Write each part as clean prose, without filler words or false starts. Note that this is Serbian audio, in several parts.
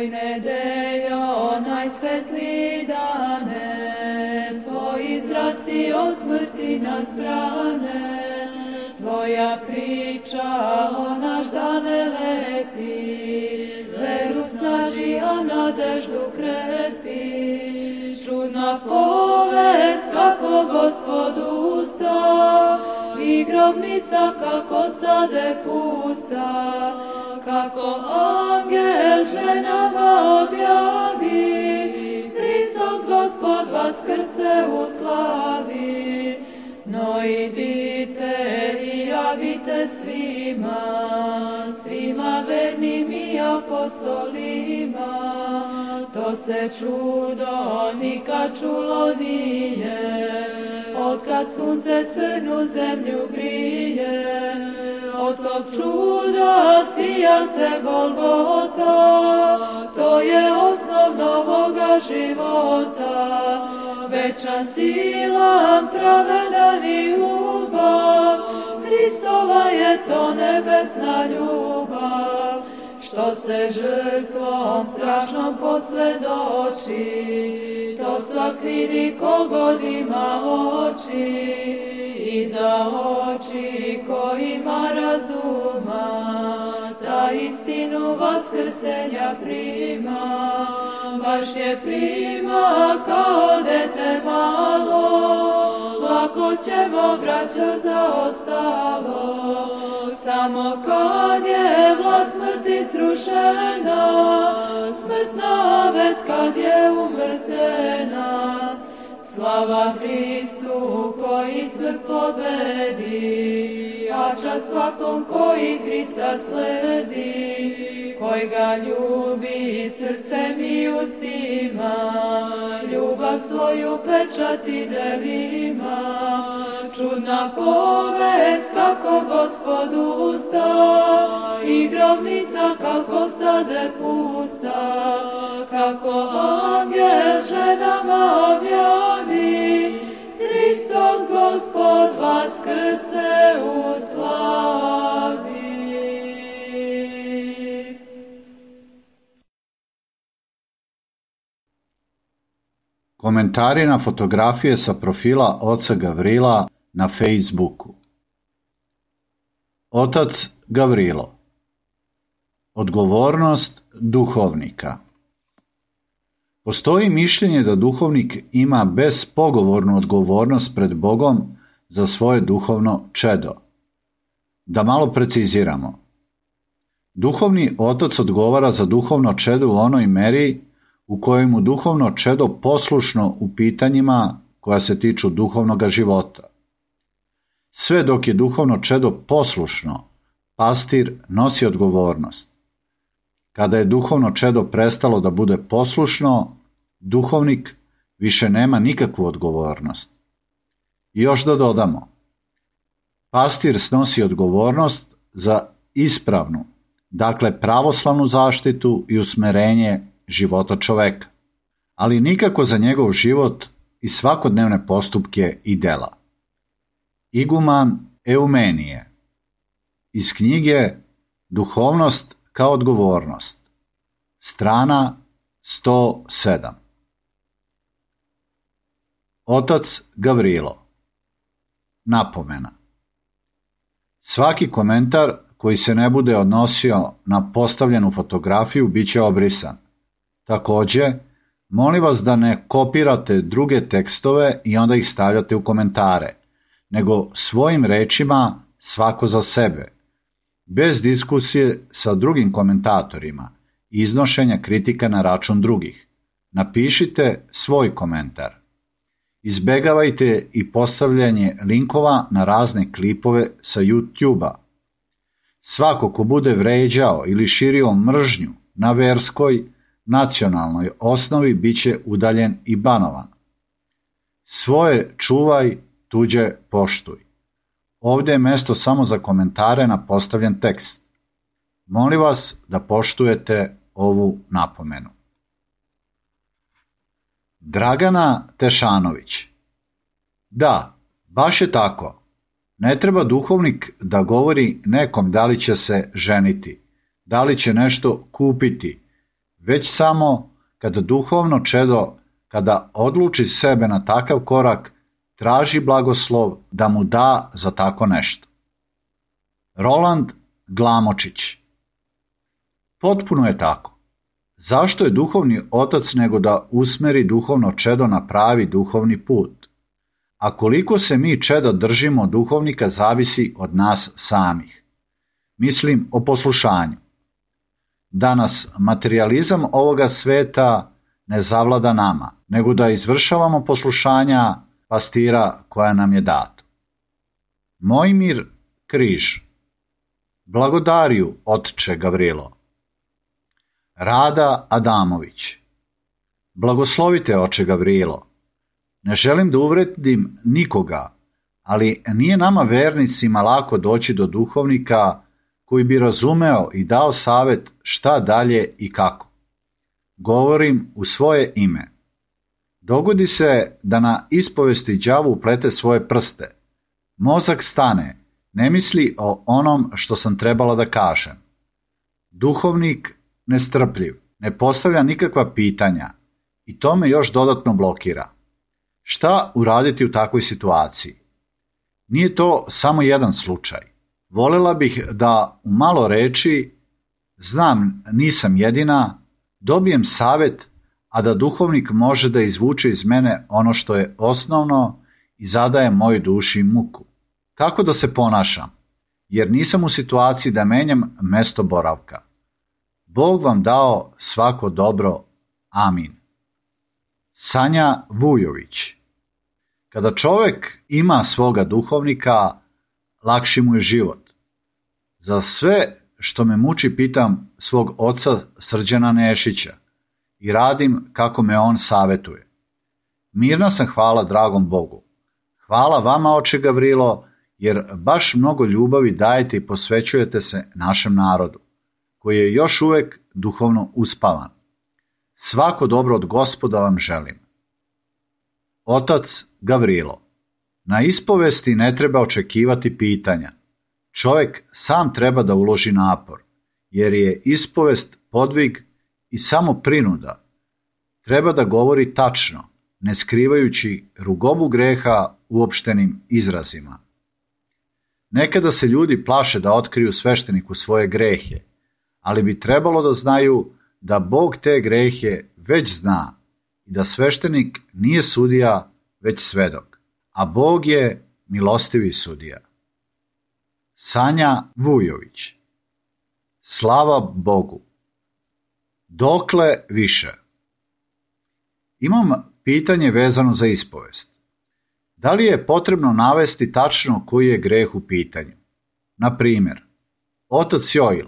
Oj nedeljo, najsvetliji dane, tvoji zraci od smrti nas brane, tvoja priča o naš dane lepi, veru snaži, a nadeždu krepi. Čudna povest kako Gospod usta, i grobnica kako stade pusta, kako angel ženama objavi, Hristos Gospod vaskrse u slavi. No idite i javite svima vernim i apostolima, to se čudo nikad čulo nije, otkad sunce crnu zemlju grije. Od tog čuda sija se Golgota, to je osnov novoga života. Večan silan, pravedan i ljubav, Hristova je to nebesna ljubav, što se žrtvom strašnom posvjedoči, to svak vidi kogod ima oči, i za oči ko ima razuma, ta istinu vaskrsenja prima. Baš je prima kao dete malo, lako ćemo braćo zaostalo, samo kad je vlast smrti srušena, smrtna vet kad je umrtvena. Slava Hristu koji smrt pobedi, a čast svakom koji Hrista sledi, koji ga ljubi srcem i ustima, ljubav svoju pečati delima. Čudna povest kako Gospod usta, i grobnica kako stade pusta, kako angel ženama objavi, Hristos Gospod vaskrse u slavi. Komentari na fotografije sa profila oca Gavrila na Facebooku. Otac Gavrilo. Odgovornost duhovnika. Postoji mišljenje da duhovnik ima bespogovornu odgovornost pred Bogom za svoje duhovno čedo. Da malo preciziramo. Duhovni otac odgovara za duhovno čedo u onoj meri u kojoj mu duhovno čedo poslušno u pitanjima koja se tiču duhovnog života. Sve dok je duhovno čedo poslušno, pastir nosi odgovornost. Kada je duhovno čedo prestalo da bude poslušno, duhovnik više nema nikakvu odgovornost. I još da dodamo, pastir snosi odgovornost za ispravnu, dakle pravoslavnu zaštitu i usmerenje života čoveka, ali nikako za njegov život i svakodnevne postupke i dela. Iguman Eumenije. Iz knjige Duhovnost kao odgovornost. Strana 107. Otac Gavrilo. Napomena. Svaki komentar koji se ne bude odnosio na postavljenu fotografiju bit će obrisan. Također, molim vas da ne kopirate druge tekstove i onda ih stavljate u komentare, nego svojim rečima svako za sebe, bez diskusije sa drugim komentatorima i iznošenja kritika na račun drugih. Napišite svoj komentar. Izbegavajte i postavljanje linkova na razne klipove sa YouTube-a. Svako ko bude vređao ili širio mržnju na verskoj, nacionalnoj osnovi bit će udaljen i banovan. Svoje čuvaj, tuđe poštuj. Ovdje je mjesto samo za komentare na postavljen tekst. Molim vas da poštujete ovu napomenu. Dragana Tešanović. Da, baš je tako. Ne treba duhovnik da govori nekom da li će se ženiti, da li će nešto kupiti, već samo kada duhovno čedo, kada odluči sebe na takav korak, traži blagoslov da mu da za tako nešto. Roland Glamočić. Potpuno je tako. Zašto je duhovni otac nego da usmeri duhovno čedo na pravi duhovni put? A koliko se mi čeda držimo duhovnika zavisi od nas samih. Mislim o poslušanju. Danas materializam ovoga sveta ne zavlada nama, nego da izvršavamo poslušanja pastira koja nam je dato. Mojmir Križ. Blagodariju, otče Gavrilo. Rada Adamović. Blagoslovite, oče Gavrilo. Ne želim da uvredim nikoga, ali nije nama vernicima lako doći do duhovnika koji bi razumeo i dao savjet šta dalje i kako. Govorim u svoje ime. Dogodi se da na ispovesti đavo uplete svoje prste. Mozak stane, ne misli o onom što sam trebala da kažem. Duhovnik nestrpljiv, ne postavlja nikakva pitanja i to me još dodatno blokira. Šta uraditi u takvoj situaciji? Nije to samo jedan slučaj. Volela bih da u malo reči, znam nisam jedina, dobijem savjet, a da duhovnik može da izvuče iz mene ono što je osnovno i zadaje mojoj duši muku. Kako da se ponašam? Jer nisam u situaciji da menjam mesto boravka. Bog vam dao svako dobro. Amin. Sanja Vujović. Kada čovjek ima svoga duhovnika, lakši mu je život. Za sve što me muči pitam svog oca Srđana Nešića i radim kako me on savjetuje. Mirna sam, hvala dragom Bogu. Hvala vama, oče Gavrilo, jer baš mnogo ljubavi dajete i posvećujete se našem narodu, koji je još uvijek duhovno uspavan. Svako dobro od Gospoda vam želim. Otac Gavrilo. Na ispovesti ne treba očekivati pitanja. Čovjek sam treba da uloži napor, jer je ispovest podvig i samo prinuda. Treba da govori tačno, ne skrivajući rugobu greha uopštenim izrazima. Nekada se ljudi plaše da otkriju svešteniku svoje grehe, ali bi trebalo da znaju da Bog te grehe već zna i da sveštenik nije sudija, već svedok, a Bog je milostivi sudija. Sanja Vujović. Slava Bogu. Dokle više? Imam pitanje vezano za ispovest. Da li je potrebno navesti tačno koji je greh u pitanju? Na primjer, otac Joil,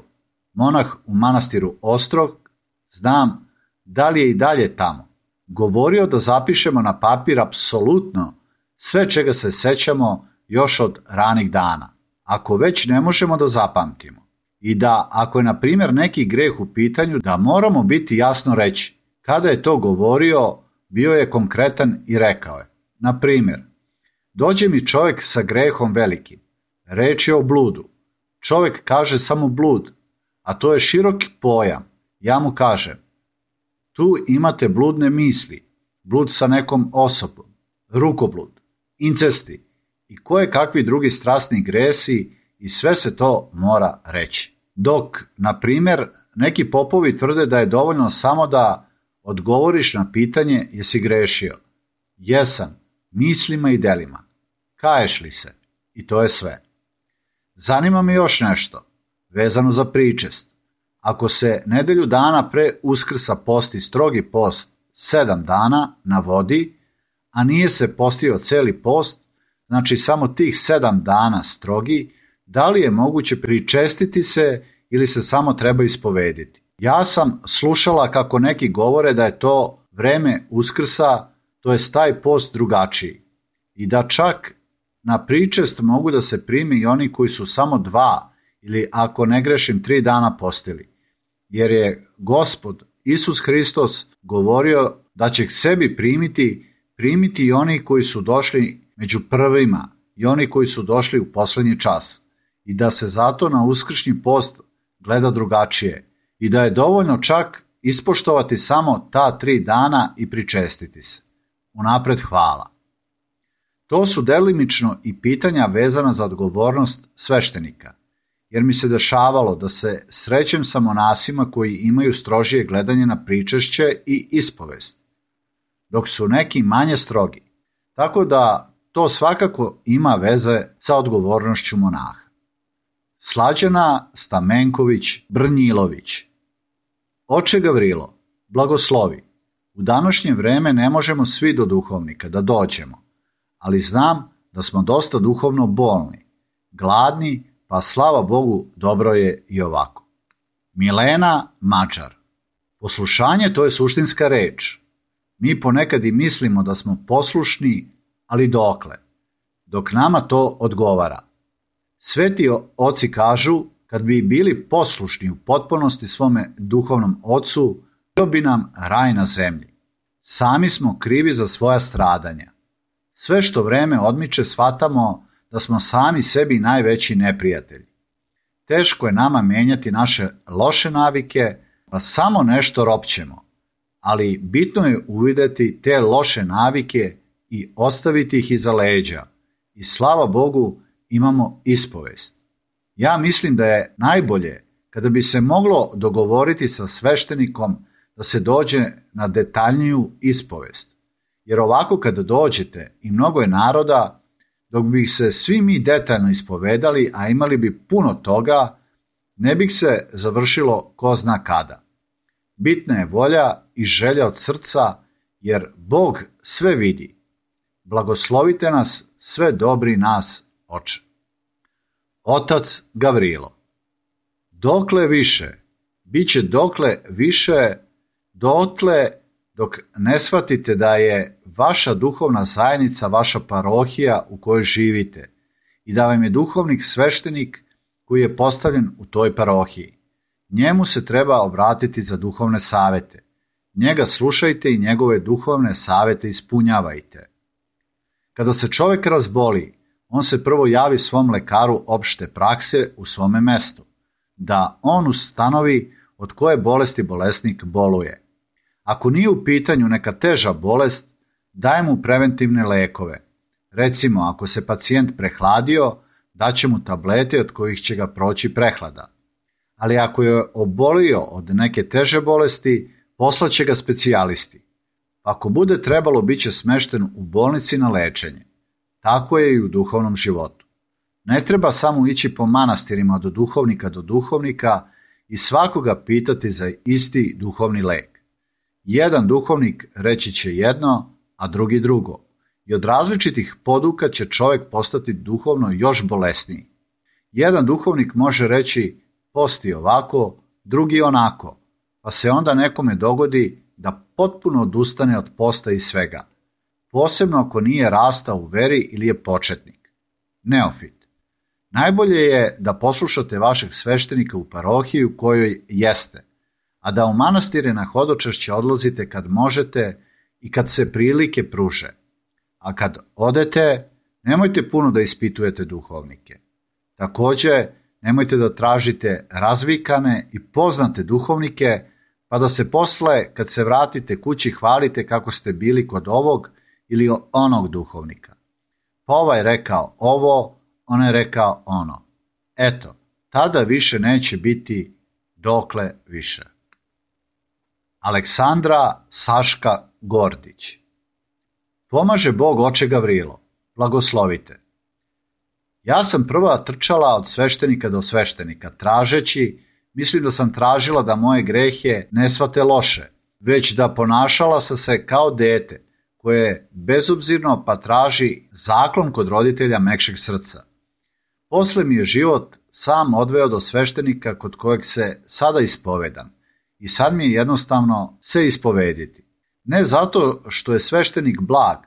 monah u manastiru Ostrog, znam da li je i dalje tamo, govorio da zapišemo na papir apsolutno sve čega se sećamo još od ranih dana, ako već ne možemo da zapamtimo. I da, ako je na primjer neki greh u pitanju, da moramo biti jasno reći. Kada je to govorio, bio je konkretan i rekao je. Na primjer, dođe mi čovjek sa grehom velikim. Reč je o bludu. Čovjek kaže samo blud, a to je široki pojam. Ja mu kažem, tu imate bludne misli, blud sa nekom osobom, rukoblud, incesti i koje kakvi drugi strasni gresi i sve se to mora reći. Dok, na primjer, neki popovi tvrde da je dovoljno samo da odgovoriš na pitanje jesi grešio. Jesam, mislima i delima. Kaješ li se? I to je sve. Zanima me još nešto, vezano za pričest. Ako se nedelju dana pre Uskrsa posti strogi post 7 dana na vodi, a nije se postio celi post, znači samo tih 7 dana strogi, da li je moguće pričestiti se ili se samo treba ispovediti? Ja sam slušala kako neki govore da je to vreme Uskrsa, to je taj post drugačiji. I da čak na pričest mogu da se prime i oni koji su samo 2 ili ako ne grešim 3 dana postili. Jer je Gospod Isus Hristos govorio da će k sebi primiti i oni koji su došli među prvima i oni koji su došli u poslednji čas. I da se zato na uskršnji post gleda drugačije. I da je dovoljno čak ispoštovati samo ta 3 dana i pričestiti se. Unapred hvala. To su delimično i pitanja vezana za odgovornost sveštenika, jer mi se dešavalo da se srećem sa monasima koji imaju strožije gledanje na pričešće i ispovest, dok su neki manje strogi. Tako da to svakako ima veze sa odgovornošću monaha. Slađana Stamenković Brnjilović. Oče Gavrilo, blagoslovi. U današnje vreme ne možemo svi do duhovnika da dođemo, ali znam da smo dosta duhovno bolni, gladni, pa slava Bogu dobro je i ovako. Milena Mačar. Poslušanje to je suštinska reč. Mi ponekad i mislimo da smo poslušni, ali dokle? Dok nama to odgovara. Sveti oci kažu, kad bi bili poslušni u potpunosti svome duhovnom ocu, bio bi nam raj na zemlji. Sami smo krivi za svoja stradanja. Sve što vreme odmiče shvatamo da smo sami sebi najveći neprijatelji. Teško je nama menjati naše loše navike, pa samo nešto ropćemo, ali bitno je uvideti te loše navike i ostaviti ih iza leđa. I slava Bogu imamo ispovest. Ja mislim da je najbolje kada bi se moglo dogovoriti sa sveštenikom da se dođe na detaljniju ispovest. Jer ovako kada dođete i mnogo je naroda, dok bi se svi mi detaljno ispovedali, a imali bi puno toga, ne bi se završilo ko zna kada. Bitna je volja i želja od srca, jer Bog sve vidi. Blagoslovite nas, sve dobri nas, Oče. Otac Gavrilo. Dokle više, bit će dokle više, dotle dok ne shvatite da je vaša duhovna zajednica vaša parohija u kojoj živite i da vam je duhovnik sveštenik koji je postavljen u toj parohiji. Njemu se treba obratiti za duhovne savete. Njega slušajte i njegove duhovne savete ispunjavajte. Kada se čovjek razboli, on se prvo javi svom lekaru opšte prakse u svome mestu, da on ustanovi od koje bolesti bolesnik boluje. Ako nije u pitanju neka teža bolest, daje mu preventivne lekove. Recimo, ako se pacijent prehladio, daće mu tablete od kojih će ga proći prehlada. Ali ako je obolio od neke teže bolesti, poslaće ga specijalisti. Ako bude trebalo, bit će smešten u bolnici na lečenje. Tako je i u duhovnom životu. Ne treba samo ići po manastirima od duhovnika do duhovnika i svakoga pitati za isti duhovni lek. Jedan duhovnik reći će jedno, a drugi drugo. I od različitih poduka će čovjek postati duhovno još bolesniji. Jedan duhovnik može reći posti ovako, drugi onako, pa se onda nekome dogodi da potpuno odustane od posta i svega. Posebno ako nije rastao u veri ili je početnik. Neofit. Najbolje je da poslušate vašeg sveštenika u parohiji u kojoj jeste, a da u manastire na hodočašće odlazite kad možete i kad se prilike pruže. A kad odete, nemojte puno da ispitujete duhovnike. Također, nemojte da tražite razvikane i poznate duhovnike, pa da se posle, kad se vratite kući, hvalite kako ste bili kod ovog ili onog duhovnika. Pa ovaj rekao ovo, on je rekao ono. Eto, tada više neće biti dokle više. Aleksandra Saška Gordić. Pomaže Bog, oče Gavrilo. Blagoslovite. Ja sam prva trčala od sveštenika do sveštenika, tražeći, mislim da sam tražila da moje grehe ne shvate loše, već da ponašala sam se kao dete, koje je bezobzirno pa traži zaklon kod roditelja mekšeg srca. Posle mi je život sam odveo do sveštenika kod kojeg se sada ispovedam i sad mi je jednostavno se ispovediti. Ne zato što je sveštenik blag,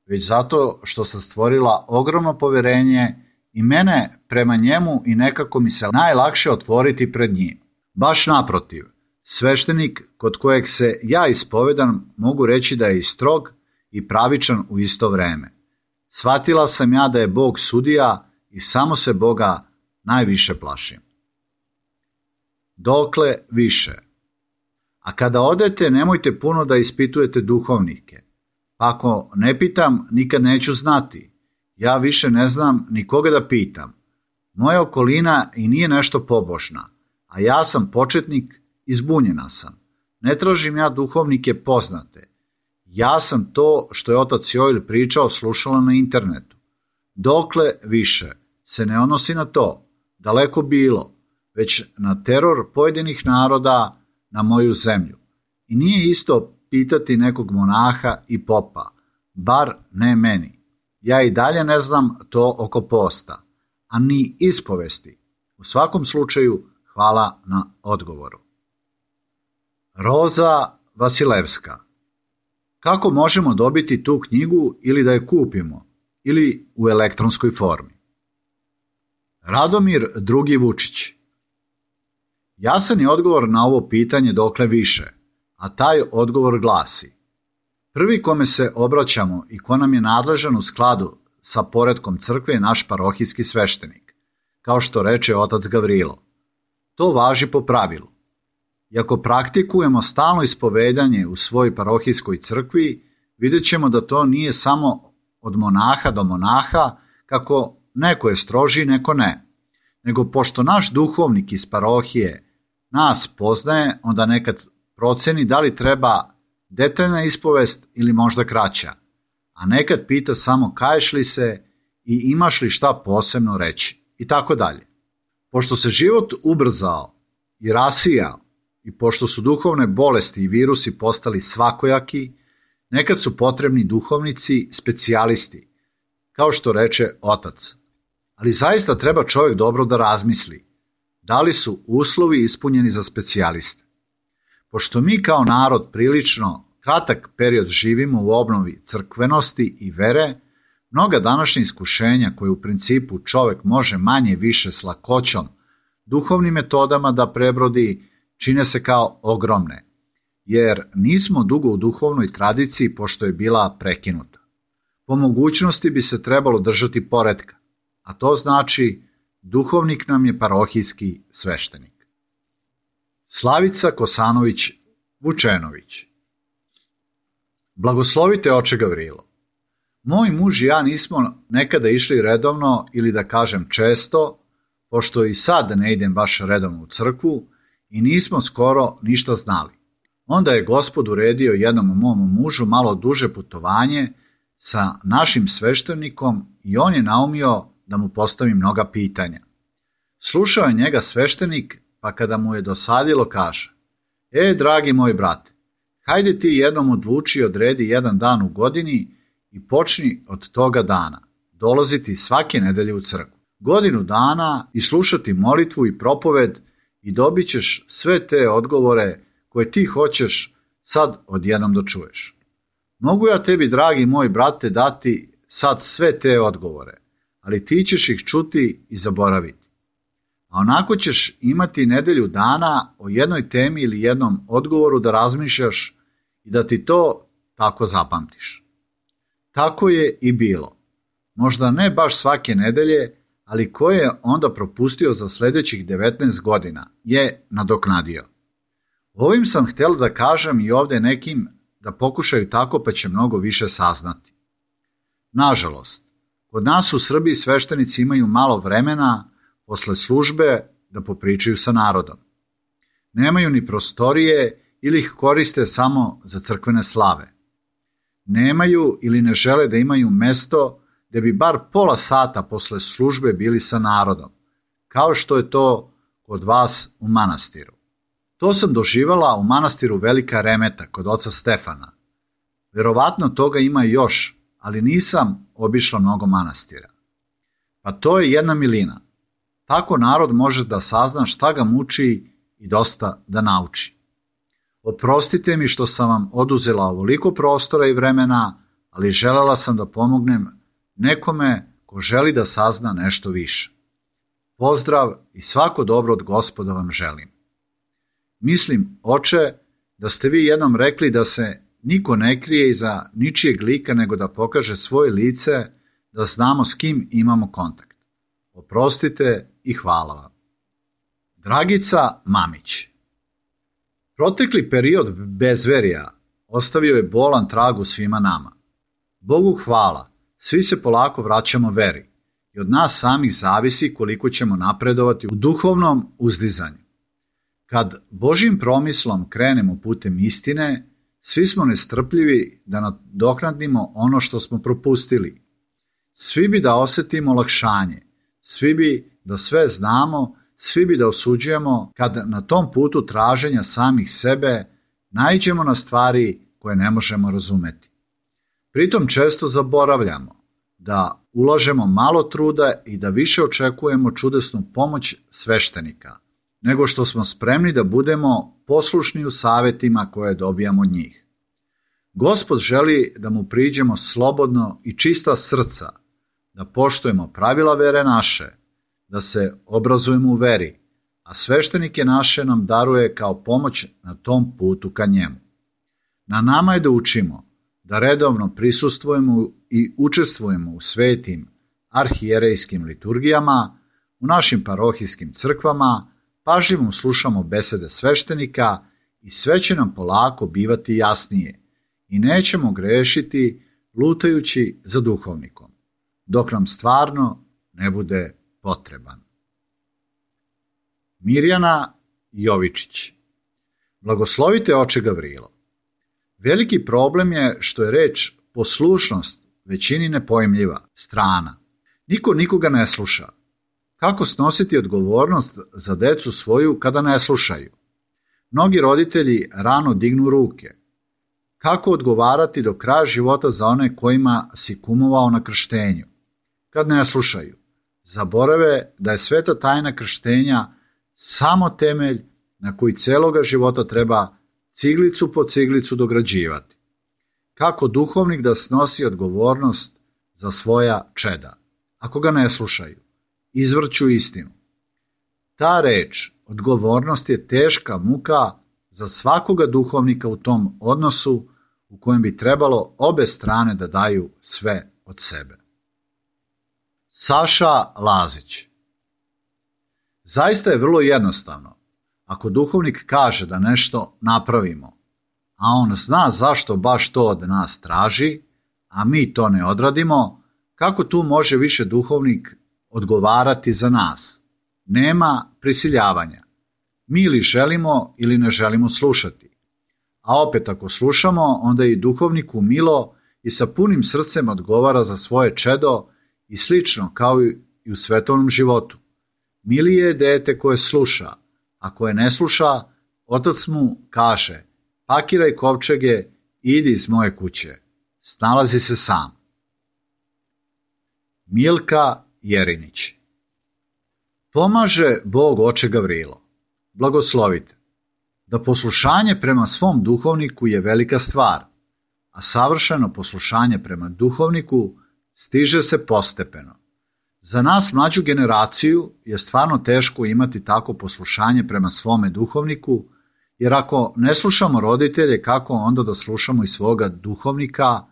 već zato što sam stvorila ogromno poverenje i mene prema njemu i nekako mi se najlakše otvoriti pred njim. Baš naprotiv, sveštenik kod kojeg se ja ispovedam mogu reći da je i strog i pravičan u isto vreme. Shvatila sam ja da je Bog sudija i samo se Boga najviše plašim. Dokle više. A kada odete, nemojte puno da ispitujete duhovnike. Pa ako ne pitam, nikad neću znati. Ja više ne znam ni koga da pitam. Moja okolina i nije nešto pobožna, a ja sam početnik i zbunjena sam. Ne tražim ja duhovnike poznate. Ja sam to što je otac Joel pričao slušala na internetu. Dokle više se ne odnosi na to, daleko bilo, već na teror pojedinih naroda na moju zemlju. I nije isto pitati nekog monaha i popa, bar ne meni. Ja i dalje ne znam to oko posta, a ni ispovesti. U svakom slučaju, hvala na odgovoru. Roza Vasilevska. Kako možemo dobiti tu knjigu ili da je kupimo, ili u elektronskoj formi? Radomir II. Vučić. Jasan je odgovor na ovo pitanje dokle više, a taj odgovor glasi: prvi kome se obraćamo i ko nam je nadležan u skladu sa poretkom crkve je naš parohijski sveštenik, kao što reče otac Gavrilo. To važi po pravilu. I ako praktikujemo stalno ispovedanje u svojoj parohijskoj crkvi, vidjet ćemo da to nije samo od monaha do monaha, kako neko je stroži, neko ne, nego pošto naš duhovnik iz parohije nas poznaje, onda nekad proceni da li treba detaljna ispovest ili možda kraća, a nekad pita samo kaješ li se i imaš li šta posebno reći, i tako dalje. Pošto se život ubrzao i rasijao, i pošto su duhovne bolesti i virusi postali svakojaki, nekad su potrebni duhovnici, specijalisti, kao što reče otac. Ali zaista treba čovjek dobro da razmisli, da li su uslovi ispunjeni za specijaliste. Pošto mi kao narod prilično kratak period živimo u obnovi crkvenosti i vere, mnoga današnja iskušenja koje u principu čovjek može manje više s lakoćom duhovnim metodama da prebrodi, čine se kao ogromne, jer nismo dugo u duhovnoj tradiciji pošto je bila prekinuta. Po mogućnosti bi se trebalo držati poretka, a to znači duhovnik nam je parohijski sveštenik. Slavica Kosanović Vučenović. Blagoslovite oče Gavrilo. Moj muž i ja nismo nekada išli redovno ili da kažem često, pošto i sad ne idem baš redovno u crkvu i nismo skoro ništa znali. Onda je Gospod uredio jednom mom mužu malo duže putovanje sa našim sveštenikom i on je naumio da mu postavi mnoga pitanja. Slušao je njega sveštenik, pa kada mu je dosadilo kaže: dragi moj brate, hajde ti jednom odluči i odredi jedan dan u godini i počni od toga dana dolaziti svake nedelje u crkvu. Godinu dana i slušati molitvu i propoved i dobit ćeš sve te odgovore koje ti hoćeš sad odjednom da čuješ. Mogu ja tebi, dragi moj brate, dati sad sve te odgovore, ali ti ćeš ih čuti i zaboraviti. A onako ćeš imati nedelju dana o jednoj temi ili jednom odgovoru da razmišljaš i da ti to tako zapamtiš. Tako je i bilo. Možda ne baš svake nedelje, ali ko je onda propustio za sljedećih 19 godina je nadoknadio. Ovim sam htjela da kažem i ovdje nekim da pokušaju tako, pa će mnogo više saznati. Nažalost, kod nas u Srbiji sveštenici imaju malo vremena posle službe da popričaju sa narodom. Nemaju ni prostorije ili ih koriste samo za crkvene slave. Nemaju ili ne žele da imaju mesto gdje bi bar pola sata posle službe bili sa narodom, kao što je to kod vas u manastiru. To sam doživala u manastiru Velika Remeta kod oca Stefana. Verovatno toga ima još, ali nisam obišla mnogo manastira. Pa to je jedna milina. Tako narod može da sazna šta ga muči i dosta da nauči. Oprostite mi što sam vam oduzela ovoliko prostora i vremena, ali želela sam da pomognem nekome ko želi da sazna nešto više. Pozdrav i svako dobro od Gospoda vam želim. Mislim, oče, da ste vi jednom rekli da se niko ne krije iza ničijeg lika nego da pokaže svoje lice, da znamo s kim imamo kontakt. Oprostite i hvala vam. Dragica Mamić. Protekli period bezverija ostavio je bolan trag u svima nama. Bogu hvala, svi se polako vraćamo veri i od nas samih zavisi koliko ćemo napredovati u duhovnom uzdizanju. Kad Božjim promislom krenemo putem istine, svi smo nestrpljivi da nadoknadimo ono što smo propustili. Svi bi da osjetimo olakšanje, svi bi da sve znamo, svi bi da osuđujemo kad na tom putu traženja samih sebe naiđemo na stvari koje ne možemo razumeti. Pritom često zaboravljamo da ulažemo malo truda i da više očekujemo čudesnu pomoć sveštenika, nego što smo spremni da budemo poslušni u savjetima koje dobijamo od njih. Gospod želi da mu priđemo slobodno i čista srca, da poštujemo pravila vere naše, da se obrazujemo u veri, a sveštenike naše nam daruje kao pomoć na tom putu ka njemu. Na nama je da učimo, da redovno prisustvujemo i učestvujemo u svetim arhijerejskim liturgijama, u našim parohijskim crkvama, pažljivo slušamo besede sveštenika i sve će nam polako bivati jasnije i nećemo grešiti lutajući za duhovnikom, dok nam stvarno ne bude potreban. Mirjana Jovičić. Blagoslovite oče Gavrilo. Veliki problem je što je reč poslušnost većini nepojmljiva, strana. Niko nikoga ne sluša. Kako snositi odgovornost za decu svoju kada ne slušaju? Mnogi roditelji rano dignu ruke. Kako odgovarati do kraja života za one kojima si kumovao na krštenju? Kad ne slušaju, zaborave da je sveta tajna krštenja samo temelj na koji celoga života treba ciglicu po ciglicu dograđivati. Kako duhovnik da snosi odgovornost za svoja čeda, ako ga ne slušaju, izvrću istinu? Ta reč, odgovornost, je teška muka za svakoga duhovnika u tom odnosu u kojem bi trebalo obe strane da daju sve od sebe. Saša Lazić. Zaista je vrlo jednostavno. Ako duhovnik kaže da nešto napravimo, a on zna zašto baš to od nas traži, a mi to ne odradimo, kako tu može više duhovnik odgovarati za nas? Nema prisiljavanja. Mi ili želimo ili ne želimo slušati. A opet ako slušamo, onda i duhovniku milo i sa punim srcem odgovara za svoje čedo i slično kao i u svetovnom životu. Milije je dete koje sluša, a koje ne sluša, otac mu kaže: pakiraj kovčege, idi iz moje kuće, snalazi se sam. Milka Jerinić. Pomaže Bog oče Gavrilo. Blagoslovite. Da poslušanje prema svom duhovniku je velika stvar, a savršeno poslušanje prema duhovniku stiže se postepeno. Za nas mlađu generaciju je stvarno teško imati tako poslušanje prema svome duhovniku, jer ako ne slušamo roditelje, kako onda da slušamo i svoga duhovnika,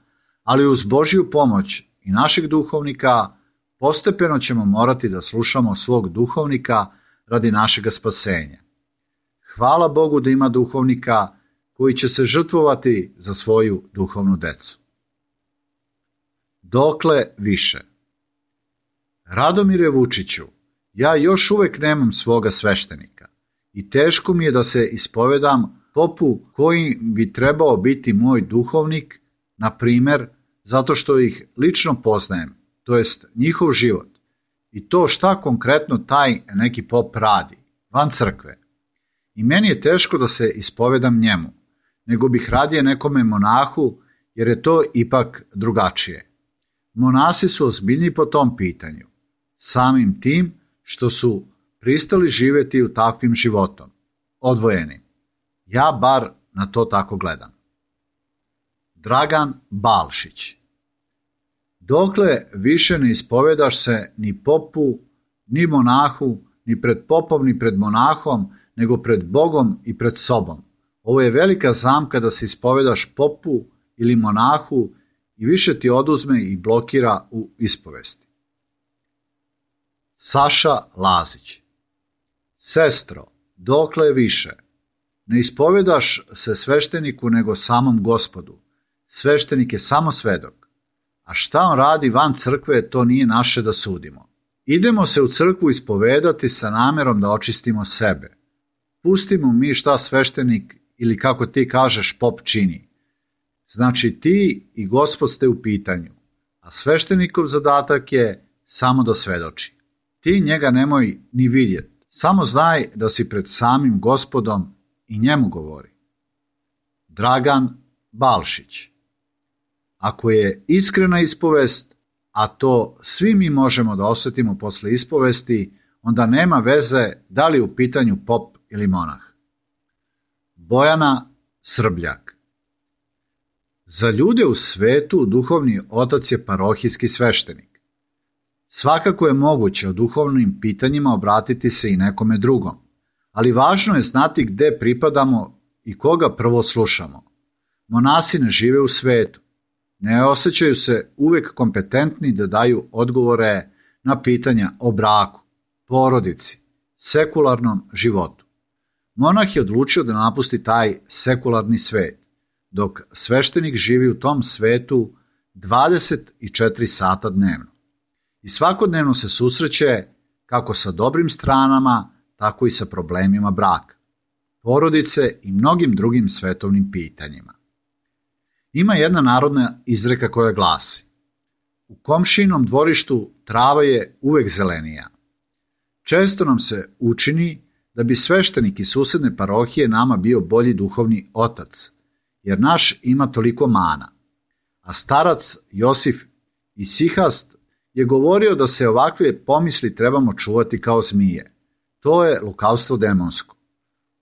ali uz Božju pomoć i našeg duhovnika postepeno ćemo morati da slušamo svog duhovnika radi našega spasenja. Hvala Bogu da ima duhovnika koji će se žrtvovati za svoju duhovnu decu. Dokle više? Radomire Vučiću, ja još uvek nemam svoga sveštenika i teško mi je da se ispovedam popu koji bi trebao biti moj duhovnik, na primer, zato što ih lično poznajem, to jest njihov život, i to šta konkretno taj neki pop radi, van crkve. I meni je teško da se ispovedam njemu, nego bih radije nekome monahu, jer je to ipak drugačije. Monasi su ozbiljni po tom pitanju, samim tim što su pristali živjeti u takvim životom, odvojeni. Ja bar na to tako gledam. Dragan Balšić. Dokle više ne ispovedaš se ni popu, ni monahu, ni pred popom, ni pred monahom, nego pred Bogom i pred sobom. Ovo je velika zamka da se ispovedaš popu ili monahu i više ti oduzme i blokira u ispovesti. Saša Lazić. Sestro, dokle više? Ne ispovedaš se svešteniku nego samom Gospodu. Sveštenik je samo svedok. A šta on radi van crkve, to nije naše da sudimo. Idemo se u crkvu ispovedati sa namerom da očistimo sebe. Pustimo mi šta sveštenik ili kako ti kažeš pop čini. Znači ti i Gospod ste u pitanju, a sveštenikov zadatak je samo da svedoči. Ti njega nemoj ni vidjeti, samo znaj da si pred samim Gospodom i njemu govori. Dragan Balšić. Ako je iskrena ispovest, a to svi mi možemo da osjetimo posle ispovesti, onda nema veze da li u pitanju pop ili monah. Bojana Srbljak. Za ljude u svetu duhovni otac je parohijski sveštenik. Svakako je moguće o duhovnim pitanjima obratiti se i nekome drugom, ali važno je znati gde pripadamo i koga prvo slušamo. Monasi ne žive u svetu. Ne osjećaju se uvek kompetentni da daju odgovore na pitanja o braku, porodici, sekularnom životu. Monah je odlučio da napusti taj sekularni svet, dok sveštenik živi u tom svetu 24 sata dnevno. I svakodnevno se susreće kako sa dobrim stranama, tako i sa problemima braka, porodice i mnogim drugim svetovnim pitanjima. Ima jedna narodna izreka koja glasi: u komšinom dvorištu trava je uvek zelenija. Često nam se učini da bi sveštenik iz susedne parohije nama bio bolji duhovni otac, jer naš ima toliko mana. A starac Josif Isihast je govorio da se ovakve pomisli trebamo čuvati kao zmije. To je lukavstvo demonsko.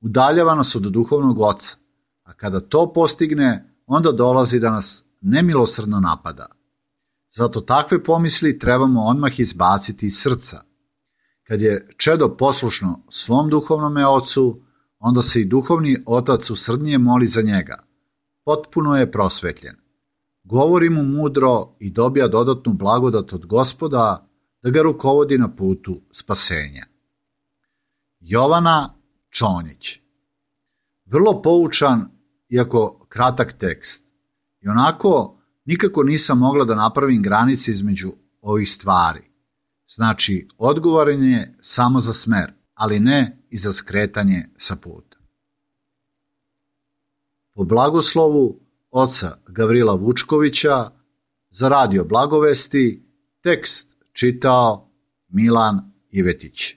Udaljava nas od duhovnog oca, a kada to postigne, onda dolazi da nas nemilosrdno napada. Zato takve pomisli trebamo odmah izbaciti iz srca. Kad je čedo poslušno svom duhovnome ocu, onda se i duhovni otac usrdnije moli za njega. Potpuno je prosvetljen. Govori mu mudro i dobija dodatnu blagodat od Gospoda da ga rukovodi na putu spasenja. Jovana Čonjić. Vrlo poučan, iako kratak tekst. I onako nikako nisam mogla da napravim granice između ovih stvari. Znači, odgovoran je samo za smer, ali ne i za skretanje sa puta. Po blagoslovu oca Gavrila Vučkovića za Radio Blagovesti tekst čitao Milan Ivetić.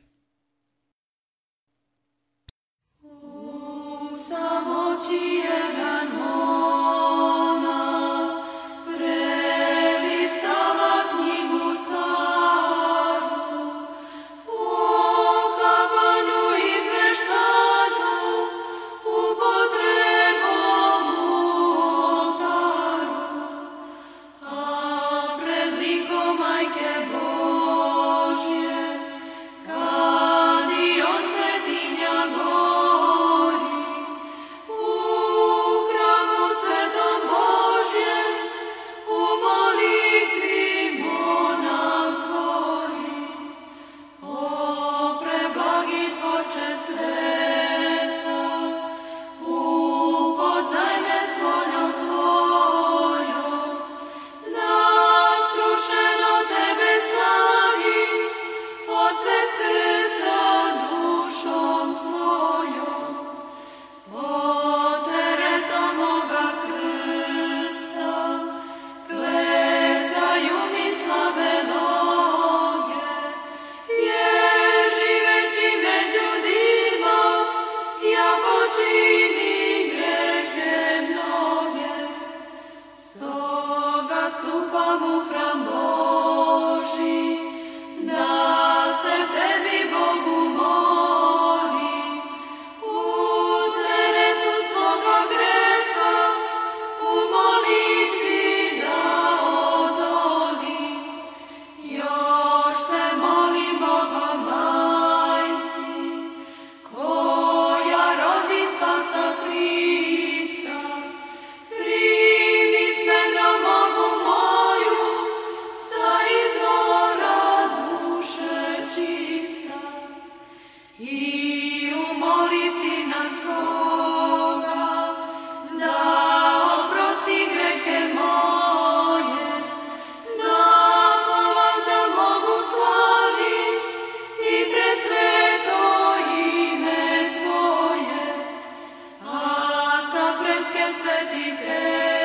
Kad i on se tinja gori, vojske svetike,